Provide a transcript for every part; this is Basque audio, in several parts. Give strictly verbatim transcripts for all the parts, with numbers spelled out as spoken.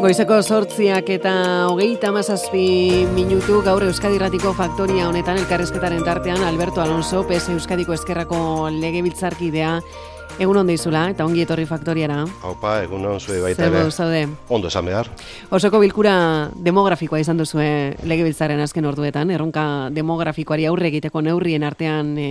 Goizeko zortziak eta hogeita hamazazpi minutu gaur Euskadi Irratiko Faktoria honetan elkarrizketaren tartean Alberto Alonso, P S Euskadiko Ezkerrako legebiltzarkidea. Egun ondo izula eta ongi etorri Faktoriara. Haupa, egun on zue baita ere. Zer zaude? Ondo esan behar. Osoko bilkura demografikoa izan duzue legebiltzaren azken orduetan, erronka demografikoari aurre egiteko neurrien artean e,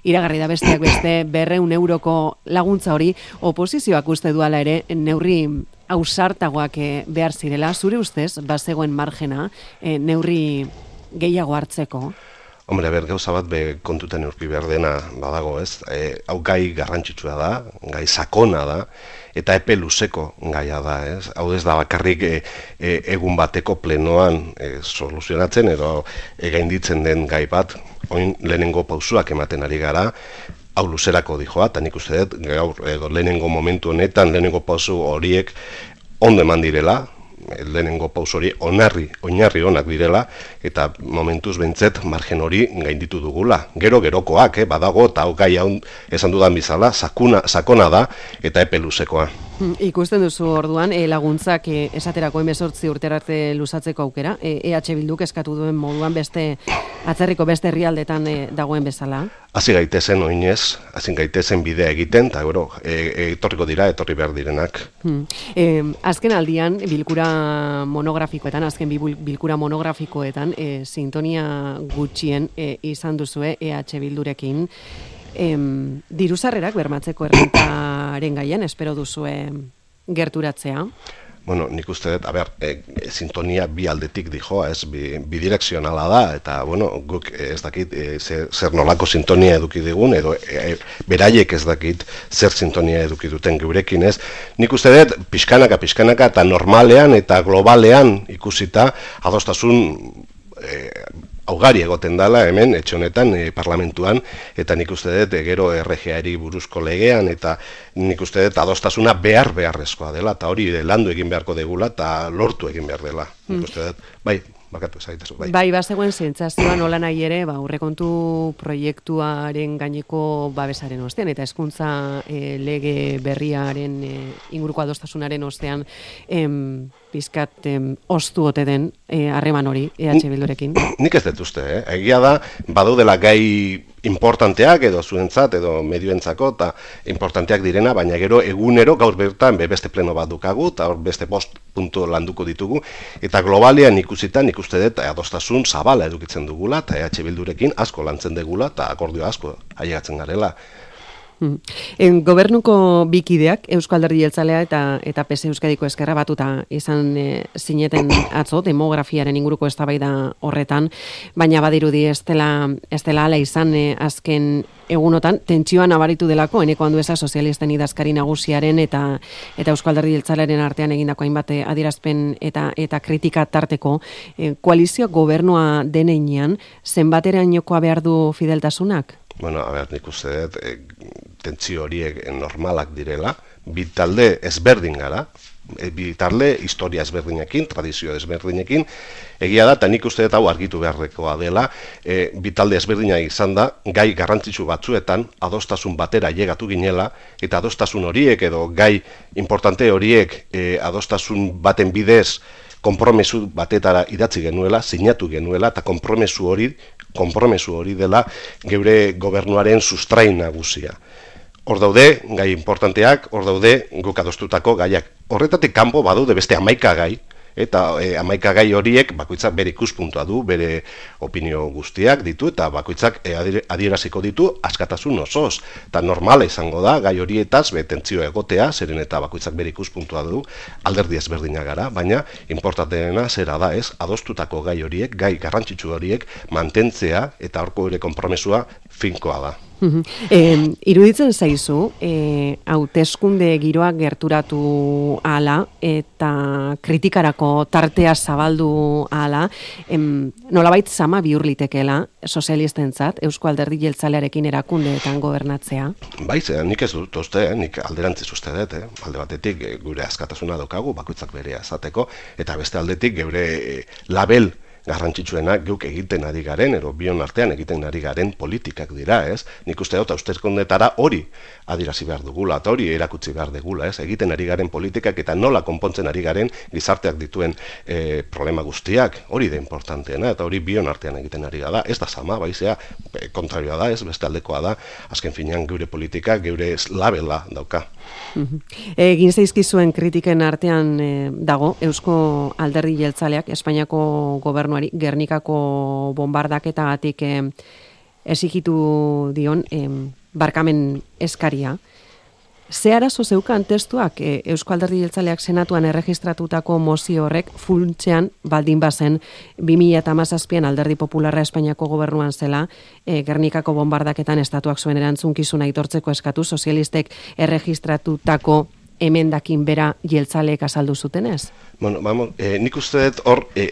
iragarri da besteak beste berrehun euroko laguntza hori, oposizioak uste duala ere neurri ausartagoak behar zirela, zure ustez, bazegoen margena, e, neurri gehiago hartzeko? Hombre, ber, gauza bat be kontutan eurki behar dena badago, ez? E, hau gai garrantzitsua da, gai sakona da, eta epe luzeko gaia da, ez? Hau ez da bakarrik e, e, egun bateko plenoan e, soluzionatzen, edo e, gainditzen den gai bat, oin lehenengo pausuak ematen ari gara, hau luzerako dijoa, eta nik uste dut, gaur, edo lehenengo momentu honetan, lehenengo pausu horiek ondo eman direla, lehenengo pauso hori onarri, oinarri onak direla, eta momentuz behintzet margen hori gainditu dugula. Gero gerokoak, eh, badago, eta hau gai hau esan dudan bizala, sakuna, sakona da, eta epe luzekoa. Ikusten duzu orduan, e, laguntzak e, esaterako hemezortzi urterarte luzatzeko aukera, e, EH Bilduk eskatu duen moduan beste atzerriko beste herrialdetan e, dagoen bezala? Hasi gaitezen oinez, hasi gaitezen bidea egiten, eta gero, e, e, etorriko dira, etorri behar direnak. Hmm. E, azken aldian, bilkura monografikoetan, azken bilkura monografikoetan, e, sintonia gutxien e, izan duzue EH Bildurekin, Em, diruzarrerak bermatzeko errentaren gaian, espero duzue gerturatzea? Bueno, nik uste dut, a ber, e, e, sintonia bi aldetik dijoa, ez, bi, bidirekzionala da, eta, bueno, guk ez dakit e, zer, zer nolako sintonia eduki digun, edo e, beraiek ez dakit zer sintonia eduki duten geurekin, ez. Nik uste dut, pixkanaka, pixkanaka, eta normalean eta globalean ikusita, adostasun e, augari egoten dala hemen, etxe honetan, e, parlamentuan, eta nik uste dut, e, gero R G A-ri buruzko legean, eta nik uste dut adostasuna behar beharrezkoa dela, eta hori landu egin beharko degula, eta lortu egin behar dela. Mm. Nik uste dut, bai, bakatu ezaitezu, bai. Bai, bazegoen zentzazioa nola nahi ere, ba, aurrekontu proiektuaren gaineko babesaren ostean, eta hezkuntza e, lege berriaren e, inguruko adostasunaren ostean, em, pizkat em, ostu ote den harreman e, hori EH Bildurekin. Nik ez dut uste, eh? Egia da, badaudela gai importanteak edo zuentzat edo medioentzako eta importanteak direna, baina gero egunero gaur bertan beste pleno bat dukagu eta hor beste bost puntu landuko ditugu, eta globalean ikusita nik uste dut adostasun zabala edukitzen dugula eta EH Bildurekin asko lantzen degula eta akordio asko ailegatzen garela. En gobernuko bikideak Eusko Alderdi Jeltzalea eta eta P S Euskadiko Ezkerra batuta izan e, zineten atzo demografiaren inguruko eztabaida horretan, baina badirudi ez dela ez dela hala izan e, azken egunotan tentsioa nabaritu delako Eneko Andueza sozialisten idazkari nagusiaren eta eta Eusko Alderdi Jeltzalearen artean egindako hainbat adierazpen eta eta kritika tarteko e, koalizio gobernua denean zenbaterainokoa behar du fideltasunak? Bueno, a ber, nik uste dut, e, tentsio horiek normalak direla, bi talde ezberdin gara, e, bi talde historia ezberdinekin, tradizio ezberdinekin, egia da, eta nik uste dut hau argitu beharrekoa dela, e, bi talde ezberdina izan da, gai garrantzitsu batzuetan, adostasun batera llegatu ginela, eta adostasun horiek edo gai importante horiek e, adostasun baten bidez, konpromesu batetara idatzi genuela, sinatu genuela, eta konpromesu hori, konpromesu hori dela geure gobernuaren sustrain nagusia. Hor daude, gai importanteak, hor daude, guk adostutako gaiak. Horretatik kanpo badaude beste hamaika gai, eta e, hamaika gai horiek bakoitzak bere ikuspuntua du, bere opinio guztiak ditu, eta bakoitzak e, adieraziko ditu askatasun osoz. Eta normala izango da, gai horietaz, betentzio egotea, zeren eta bakoitzak bere ikuspuntua du, alderdi ezberdina gara, baina importanteena zera da ez, adostutako gai horiek, gai garrantzitsu horiek, mantentzea eta horko ere konpromesua finkoa da. E, iruditzen zaizu, e, hauteskunde giroa gerturatu ala eta kritikarako tartea zabaldu ala, em, nolabait zama bihur litekeela sozialistentzat Eusko Alderdi Jeltzalearekin erakundeetan gobernatzea? Bai, zean, nik ez dut uste, eh? Nik alderantziz uste dut, eh? Alde batetik e, gure askatasuna daukagu, bakoitzak berea esateko, eta beste aldetik geure e, label garrantzitsuena geuk egiten ari garen, edo bion artean egiten ari garen politikak dira, ez? Nik uste dut, hauteskundetara hori adirazi behar dugula, eta hori erakutsi behar dugula, ez? Egiten ari garen politikak eta nola konpontzen ari garen gizarteak dituen e, problema guztiak, hori da importanteena, eta hori bion artean egiten ari da, ez da sama, baizea, kontrarioa da, ez, beste aldekoa da, azken finean geure politika, geure labela dauka. Egin zaizkizuen kritiken artean e, dago, Eusko Alderdi Jeltzaleak, Espainiako gobernuari, Gernikako bombardaketagatik e, exigitu dion e, barkamen eskaria. Ze arazo zeukan testuak e, Eusko Alderdi Jeltzaleak senatuan erregistratutako mozio horrek funtsean baldin bazen bi mila hamazazpian Alderdi Popularra Espainiako gobernuan zela e, Gernikako bombardaketan estatuak zuen erantzunkizuna aitortzeko eskatu sozialistek erregistratutako emendakin bera jeltzaleek azaldu zutenez? Bueno, vamos, eh, nik uste dut hor eh,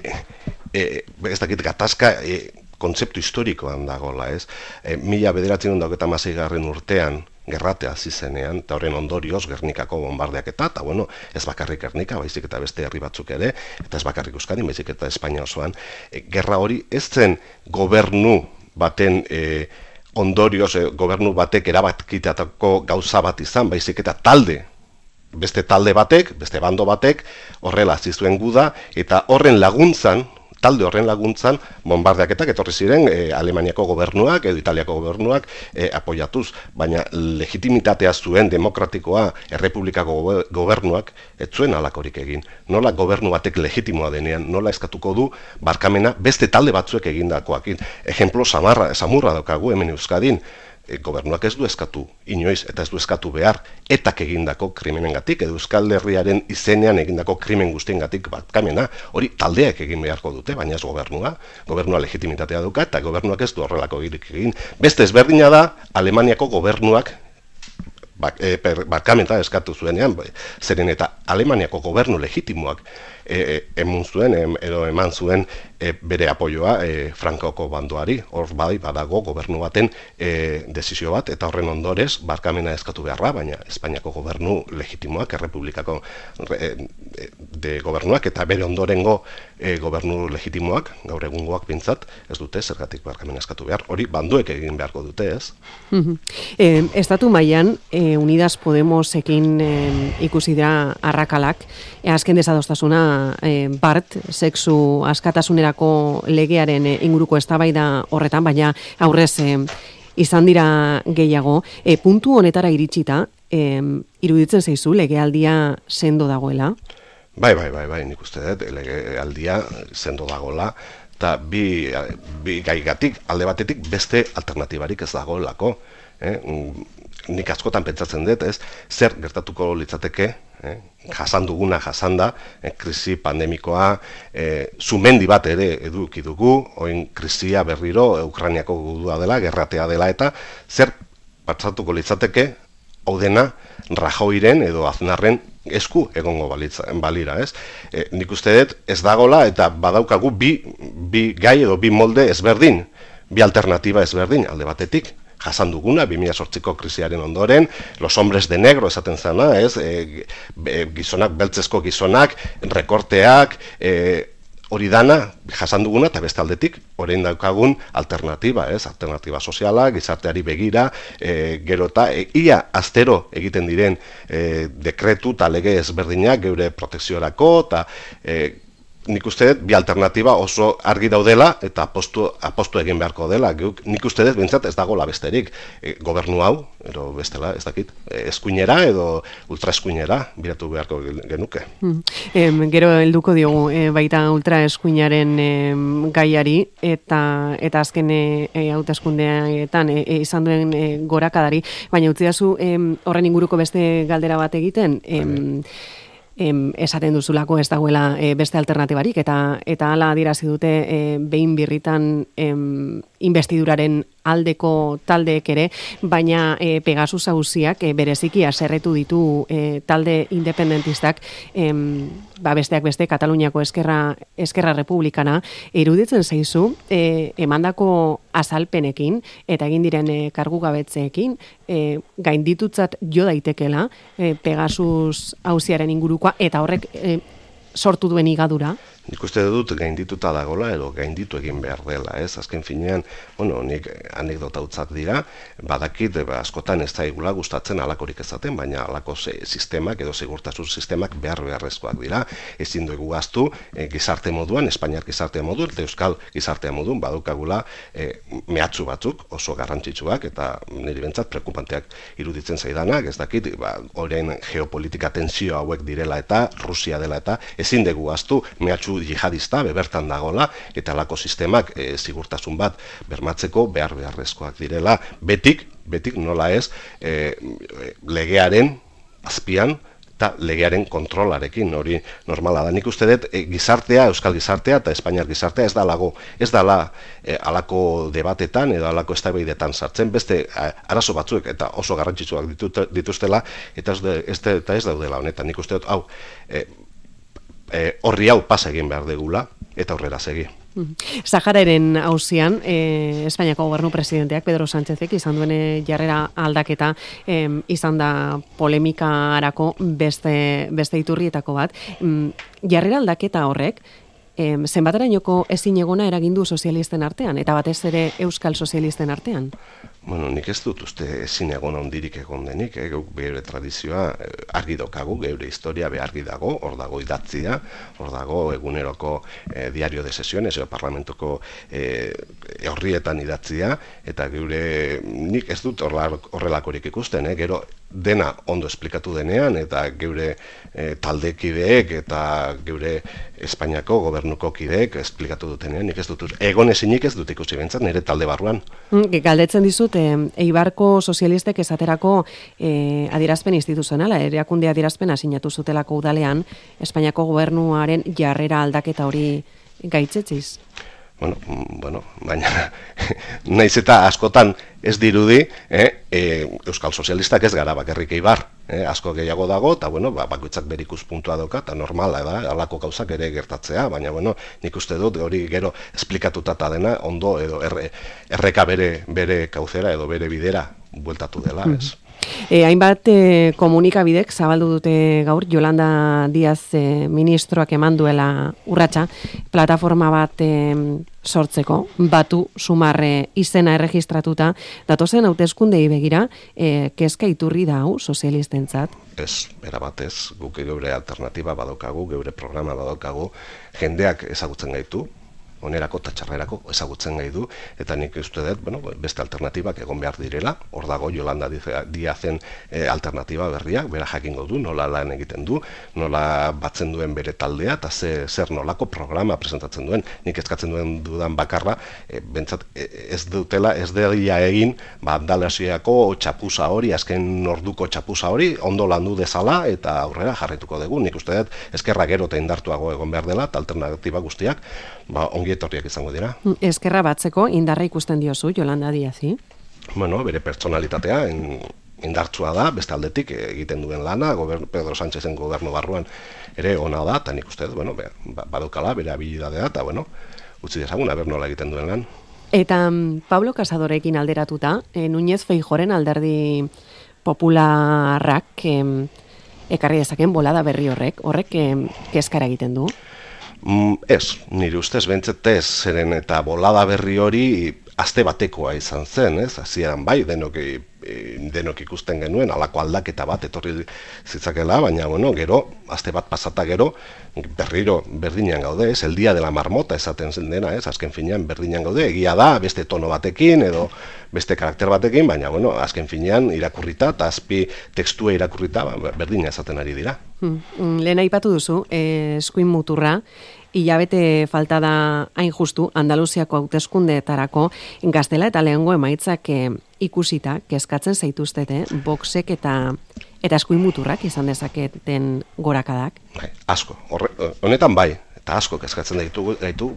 eh, ez dakit gatazka eh, kontzeptu historikoan dagoela, ez? E, mila bederatzen dauketa maseigarren urtean gerratea zizenean, eta horren ondorioz Gernikako bombardeak eta, eta bueno, ez bakarrik Gernika, baizik eta beste herri batzuk ere, eta ez bakarrik Euskadi, baizik eta Espainia osoan, e, gerra hori ez zen gobernu baten e, ondorioz, e, gobernu batek erabakitatako gauza bat izan, baizik eta talde, beste talde batek, beste bando batek, horrela zizuen guda, eta horren laguntzan, talde horren laguntzan, bombardeaketak etorri ziren e, Alemaniako gobernuak edo Italiako gobernuak e, apoiatuz, baina legitimitatea zuen demokratikoa errepublikako gobernuak ez zuen halakorik egin. Nola gobernu batek legitimoa denean, nola eskatuko du barkamena beste talde batzuek egindakoakin. Ejemplo samarra, samurra daukagu hemen Euskadin, e, gobernuak ez du eskatu inoiz eta ez du eskatu behar etak egindako krimenengatik edo Euskal Herriaren izenean egindako krimen guztiengatik barkamena, hori taldeak egin beharko dute, baina ez gobernua, gobernua legitimitatea duka eta gobernuak ez du horrelako egin. Beste ezberdina da Alemaniako gobernuak bak, e, per, barkamenta eskatu zuenean, zeren eta Alemaniako gobernu legitimoak e, e, emun zuen, em, edo eman zuen e, bere apoioa e, Frankoko bandoari, hor bai badago gobernu baten e, desizio bat, eta horren ondorez barkamena eskatu beharra, baina Espainiako gobernu legitimoak, errepublikako e, de gobernuak, eta bere ondorengo e, gobernu legitimoak, gaur egungoak pintzat, ez dute zergatik barkamena eskatu behar, hori banduek egin beharko dute, ez? Mm-hmm. e, estatu mailan e, Unidas Podemosekin e, ikusi dira arrakalak, e, azken desadostasuna e, Bart, sexu askatasunerako legearen e, inguruko eztabaida horretan, baina aurrez e, izan dira gehiago. E, puntu honetara iritsita, e, iruditzen zaizu legealdia sendo dagoela? Bai, bai, bai, bai, nik uste dut, legealdia sendo dagoela, eta bi, bi gaigatik, alde batetik, beste alternatibarik ez dagoelako. Eh? Nik askotan pentsatzen dut, ez, zer gertatuko litzateke, eh? jasan duguna jasanda, eh? krisi pandemikoa, eh, sumendi bat ere eduki dugu, oin krisia berriro, Ukrainiako gudua dela, gerratea dela, eta zer patsatuko litzateke, hau dena, Rajoiren edo Aznarren esku egongo balitza, balira, ez? E, nik uste dut ez dagola eta badaukagu bi, bi gai edo bi molde ezberdin, bi alternatiba ezberdin alde batetik. Jasan duguna, bi mila zortziko krisiaren ondoren, los hombres de negro esaten zena, ez? E, e, gizonak, beltzezko gizonak, rekorteak, e, hori dana, jasan duguna, eta beste aldetik, orain daukagun alternatiba, ez? Alternatiba soziala, gizarteari begira, e, gero eta e, ia astero egiten diren e, dekretu eta lege ezberdinak geure protekziorako, eta e, nik uste dut bi alternatiba oso argi daudela eta apostu, apostu egin beharko dela. Nik uste dut bintzat ez dagoela besterik. E, gobernu hau, edo bestela, ez dakit, eskuinera edo ultraeskuinera biratu beharko genuke. Hmm. E, gero helduko diogu e, baita ultraeskuinaren e, gaiari eta eta azken e, hauteskundeetan e, e, izan duen e, gorakadari, baina utzidazu e, horren inguruko beste galdera bat egiten, e, Em, esaten duzulako ez dagoela e, beste alternatibarik eta eta hala adierazi dute e, behin birritan em, investiduraren aldeko taldeek ere, baina e, Pegasus auziak e, bereziki haserretu ditu e, talde independentistak, em, ba besteak beste Kataluniako eskerra eskerra republikana, iruditzen zaizu e, emandako azalpenekin eta egin diren e, kargugabetzeekin e, gainditutzat jo daitekela e, Pegasus auziaren ingurukoa eta horrek e, sortu duen igadura? Nik uste dut gaindituta dagola edo gainditu egin behar dela, ez? Azken finean, bueno, nik anekdota utzak dira, badakit, ba, askotan ez daigula gustatzen alakorik ezaten, baina alako sistemak edo segurtasun sistemak behar beharrezkoak dira. Ezin dugu gaztu e, gizarte moduan, Espainiar gizarte moduan, eta Euskal gizartea moduan, badukagula e, mehatxu batzuk oso garrantzitsuak, eta niri bentsat prekupanteak iruditzen zaidanak, ez dakit, ba, orain geopolitika tensio hauek direla eta Rusia dela eta ezin dugu gaztu mehatxu jihadista bebertan dagola eta alako sistemak e, sigurtasun bat bermatzeko behar beharrezkoak direla betik, betik nola ez e, legearen azpian eta legearen kontrolarekin hori normala da. Nik uste dut e, gizartea, Euskal gizartea eta Espainiar gizartea ez da lago, ez dala e, alako debatetan edo alako eztabaidetan sartzen beste a, arazo batzuek eta oso garrantzitsuak ditut, dituztela eta ez, de, ez, de, eta ez daudela honetan. Nik uste dut hau e, horri hau pasa egin behar degula eta aurrera segi. Sahararen auzian, eh, Espainiako gobernu presidenteak Pedro Sánchezek izan duen jarrera aldaketa eh, izan da polemikarako beste, beste iturrietako bat. Jarrera aldaketa horrek, eh, zenbaterainoko ezin egona eragindu sozialisten artean, eta batez ere euskal sozialisten artean? Bueno, nik ez dut uste ezin egon handirik egon denik, eh? Geure tradizioa argi dokagu, geure historia behargi dago, hor dago idatzia, hor dago eguneroko eh, diario de sesiones, edo parlamentuko eh, horrietan idatzia, eta geure nik ez dut horrelakorik ikusten, eh? Gero dena ondo esplikatu denean, eta geure eh, taldekideek eta geure Espainiako gobernuko kideek esplikatu dutenean, nik ez dut, egon ezinik ez dut ikusi bentzat, nire talde barruan. Galdetzen dizut, e, Eibarko sozialistek esaterako e, adierazpen instituzionala, erakunde adierazpena sinatu zutelako udalean, Espainiako gobernuaren jarrera aldaketa hori gaitzetziz? Bueno, bueno, baina naiz eta askotan ez dirudi, eh, e, Euskal Sozialistak ez gara bakarrik Eibar, eh, asko gehiago dago, eta bueno, ba, bakoitzak bere ikuspuntua dauka, eta normala da, halako gauzak ere gertatzea, baina bueno, nik uste dut hori gero esplikatuta dena ondo edo erre, erreka bere, bere kauzera edo bere bidera bueltatu dela, ez? E, hainbat e, komunikabidek zabaldu dute gaur Yolanda Díaz e, ministroak eman duela urratsa plataforma bat e, sortzeko, batu sumarre izena erregistratuta, datozen hauteskundei begira, e, kezka iturri da hau sozialistentzat? Ez, erabatez, guk geure alternatiba badaukagu, geure programa badaukagu, jendeak ezagutzen gaitu, onerako eta txarrerako ezagutzen gai du, eta nik uste dut, bueno, beste alternatibak egon behar direla, hor dago Yolanda Díazen e, alternatiba berriak, bera jakingo du, nola lan egiten du, nola batzen duen bere taldea, eta ze, zer nolako programa presentatzen duen, nik eskatzen duen dudan bakarra, e, bentsat e, ez dutela, ez dela egin, ba, Andalasiako txapuza hori, azken orduko txapuza hori, ondo landu dezala, eta aurrera jarrituko dugu, nik uste dut, ezkerra gero eta indartuago egon behar dela, eta alternatiba guztiak, ba, ongi etorriak izango dira. Eskerra batzeko indarra ikusten diozu, Yolanda Díazi? Bueno, bere pertsonalitatea indartsua da, beste aldetik egiten duen lana, gobernu, Pedro Sánchezen gobernu barruan ere ona da, eta nik uste, bueno, badukala, bere habilidadea, eta bueno, utzi dezagun, aber nola egiten duen lan. Eta Pablo Casadorekin alderatuta, e, Núñez Feijóoren alderdi popularrak e, ekarri dezaken bolada berri horrek, horrek e, kezkara egiten du? Mm, ez, nire ustez bentzet ez, zeren eta bolada berri hori aste batekoa izan zen, ez? Hasieran bai, denok, e, denok ikusten genuen, halako aldaketa bat etorri zitzakela, baina, bueno, gero, aste bat pasata gero, berriro berdinean gaude, ez? El dia de la marmota esaten zen dena, ez? Azken finean berdinean gaude, egia da, beste tono batekin, edo beste karakter batekin, baina, bueno, azken finean irakurrita, eta azpi tekstua irakurrita, berdina esaten ari dira. Hmm. Lehen aipatu duzu, eh, eskuin muturra, hilabete falta da hain justu Andaluziako hauteskundeetarako gaztela eta lehengo emaitzak e, ikusita kezkatzen zaituztete boxek eta eta eskuin muturrak izan dezaketen gorakadak. Bai, asko. Horre, honetan bai, eta asko kezkatzen gaitu gaitu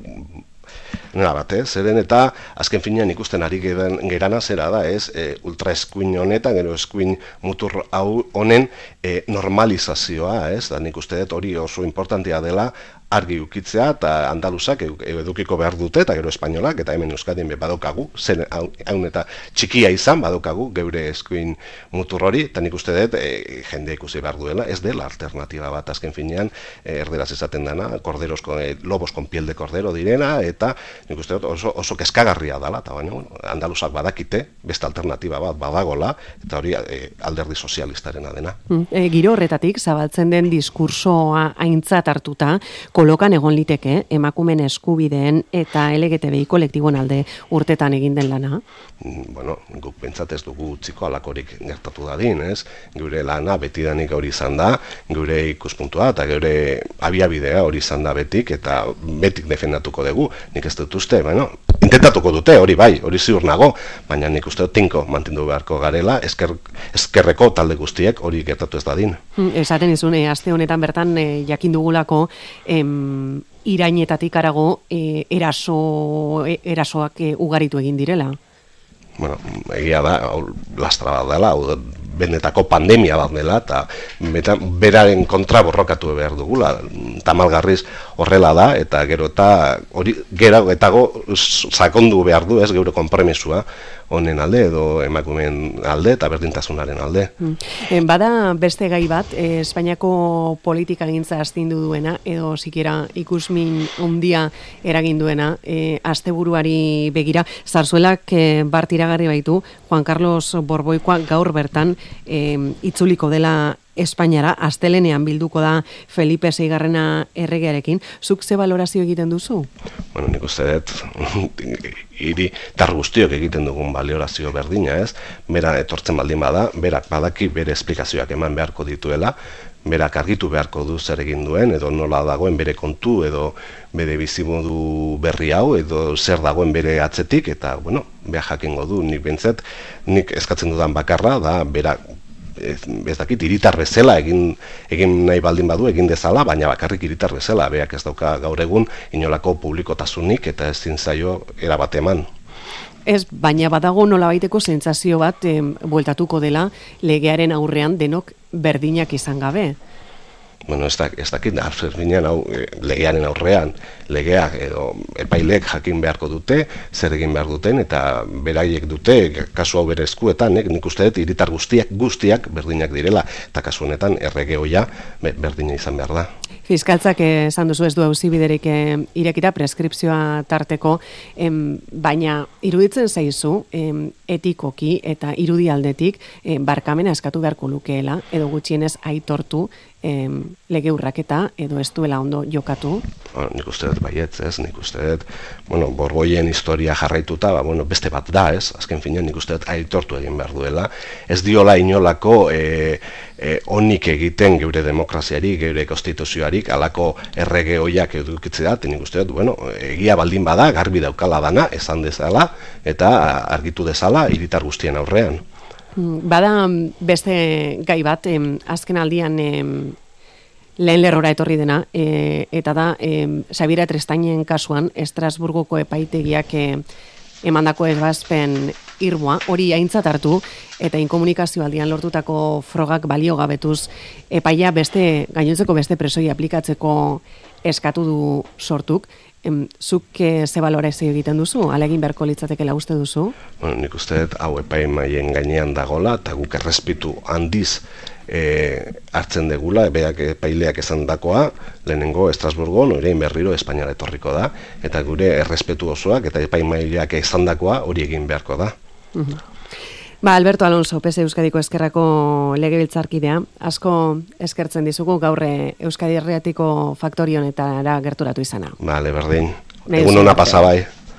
nera bat, eh? Zeren eta azken finean ikusten ari gerana zera da, ez? E, ultra eskuin honetan, gero eskuin mutur hau honen e, normalizazioa, ez? Da nik uste dut hori oso importantea dela argi ukitzea, eta andaluzak edukiko behar dute, eta gero espainolak, eta hemen Euskadien badokagu, zen haun eta txikia izan badokagu, geure eskuin mutur hori, eta nik uste dut e, jende ikusi behar duela, ez dela alternatiba bat azken finean, e, erderaz esaten dana, korderos, e, lobos con piel de cordero direna, eta nik uste dut oso, oso keskagarria dela, eta baina bueno, andaluzak badakite, beste alternatiba bat badagola, eta hori e, alderdi sozialistarena dena. E, giro horretatik, zabaltzen den diskursoa aintzat hartuta, kolokan egon liteke emakumen eskubideen eta L G T B I kolektiboen alde urtetan egin den lana? Bueno, guk pentsat ez dugu utziko alakorik gertatu dadin, ez? Gure lana betidanik hori izan da, gure ikuspuntua eta gure abiabidea hori izan da betik, eta betik defendatuko dugu. Nik ez dut uste, bueno, intentatuko dute, hori bai, hori ziur nago, baina nik uste dut tinko mantendu beharko garela, esker, eskerreko talde guztiek hori gertatu ez dadin. Esaten izun, e, aste honetan bertan e, jakin dugulako, em, irainetatik arago e, eraso, e, erasoak e, ugaritu egin direla. Bueno, egia da, lastra bat dela, benetako pandemia bat dela, eta beraren kontra borrokatu behar dugula, tamalgarriz horrela da, eta gero eta hori gero etago sakondu behar du, ez, geure konpromesua honen alde, edo emakumeen alde, eta berdintasunaren alde. Hmm. Bada beste gai bat, eh, Espainiako politika gintza astindu duena, edo sikera ikusmin handia eragin duena, eh, asteburuari begira, Zarzuelak eh, bart iragarri baitu, Juan Carlos Borboikoa gaur bertan eh, itzuliko dela Espainiara, astelenean bilduko da Felipe seigarrena erregearekin. Zuk ze balorazio egiten duzu? Bueno, nik uste dut, hiri tar guztiok egiten dugun balorazio berdina, ez? Bera etortzen baldin bada, berak badaki bere esplikazioak eman beharko dituela, berak argitu beharko du zer egin duen, edo nola dagoen bere kontu, edo bere bizimodu berri hau, edo zer dagoen bere atzetik, eta, bueno, beha jakingo du, nik bentzet, nik eskatzen dudan bakarra, da, berak, ez, ez dakit, hiritar bezala egin, egin nahi baldin badu, egin dezala, baina bakarrik hiritar bezala, beak ez dauka gaur egun inolako publikotasunik eta ezin zaio erabate eman. Ez, baina badago nolabaiteko sentsazio bat eh, bueltatuko dela legearen aurrean denok berdinak izan gabe. Bueno, ez, da, ez dakit, arferbinean hau legearen aurrean, legeak edo epailek jakin beharko dute, zer egin behar duten, eta beraiek dute, kasu hau bere eskuetan, nik, nik uste dut, hiritar guztiak, guztiak berdinak direla, eta kasu honetan errege hoia berdina izan behar da. Fiskaltzak esan duzu ez du auzibiderik irekita preskripzioa tarteko, em, baina iruditzen zaizu em, etikoki eta irudialdetik em, barkamena eskatu beharko lukeela, edo gutxienez aitortu em, lege urraketa edo ez duela ondo jokatu? Bueno, nik uste dut baietz, ez, nik uste dut, bueno, Borboien historia jarraituta, ba, bueno, beste bat da, ez, azken finean nik uste dut aitortu egin behar duela, ez diola inolako e, e, onik egiten geure demokraziari, geure konstituzioarik, alako errege hoiak edukitzea, nik uste dut, bueno, egia baldin bada, garbi daukala dana, esan dezala, eta argitu dezala hiritar guztien aurrean. Bada beste gai bat, em, azken aldian em, lehen lerrora etorri dena, e, eta da, em, Xabiera Trestainen kasuan, Estrasburgoko epaitegiak e, emandako ebazpen irmoa, hori aintzat hartu, eta inkomunikazio aldian lortutako frogak balio gabetuz, epaia beste, gainontzeko beste presoi aplikatzeko eskatu du sortuk. Em, zuk e, ze balorazio egiten duzu? Alegin beharko litzatekela uste duzu? Bueno, nik uste dut, hau epaimaien gainean dagola, eta guk errespitu handiz e, hartzen degula, beak epaileak esan dakoa, lehenengo Estrasburgo, norein berriro Espainiara etorriko da, eta gure errespetu osoak eta epaimaileak esan dakoa hori egin beharko da. Uh-huh. Ba, Alberto Alonso, P S Euskadiko Ezkerrako legebiltzarkidea, asko eskertzen dizugu gaur Euskadi Herriatiko faktorionetara gerturatu izana. Bale, berdin. Egun ona pasa bai.